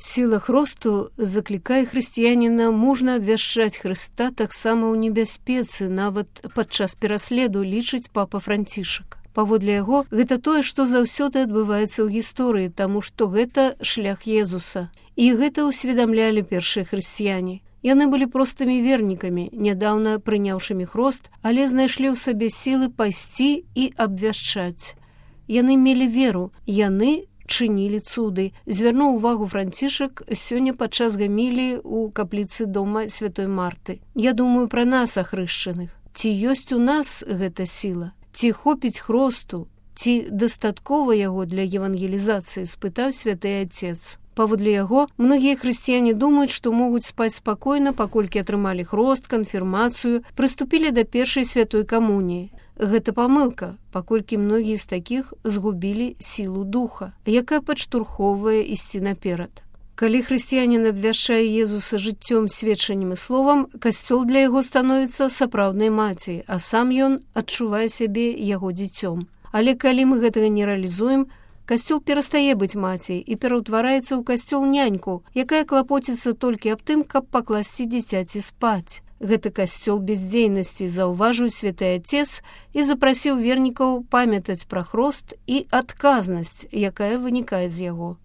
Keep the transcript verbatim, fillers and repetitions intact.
Сіла хросту заклікае хрысціяніна мужна абвяшчаць Хрыста таксама ў небяспецы, нават падчас пераследу, лічыць папа Францішак. Паводле яго, гэта тое, што заўсёды адбываецца ў гісторыі, таму што гэта шлях Езуса. І гэта ўсведамлялі першыя хрысціяне. Яны былі простымі вернікамі, нядаўна прыняўшымі хрост, але знайшлі ў сабе сілы пайсці і абвяшчаць. Яны мелі веру, яны чынілі цуды. Звярнуў увагу Францішак сёння падчас гаміліі ў капліцы дома святой Марты. Я думаю пра нас, ахрышчаных. Ці ёсць у нас гэта сіла? Ці хопіць хросту? Ці дастаткова яго для евангелізацыі? Спытаў святы Отец. Паводле яго, многія хрысціяне думаюць, што могуць спаць спакойна, паколькі атрымалі хрост, канфірмацыю, прыступілі да першай святой камуніі. Гэта памылка, паколькі многія з такіх згубілі сілу духа, якая падштурхоўвае ісці наперад. Калі хрысціянін абвяшчае Езуса жыццём, сведчаннем і словам, касцёл для яго становіцца сапраўднай маці, а сам ён адчувае сябе яго дзіцём. Але калі мы гэтага не рэалізуем, касцёл перастае быць маці і пераўтвараецца ў касцёл няньку, якая клапоціцца толькі аб тым, каб пакласці дзіцяці спаць. Гэта касцёл бездзейнасці, заўважыў святы Отец і запрасіў вернікаў памятаць пра хрост і адказнасць, якая вынікае з яго.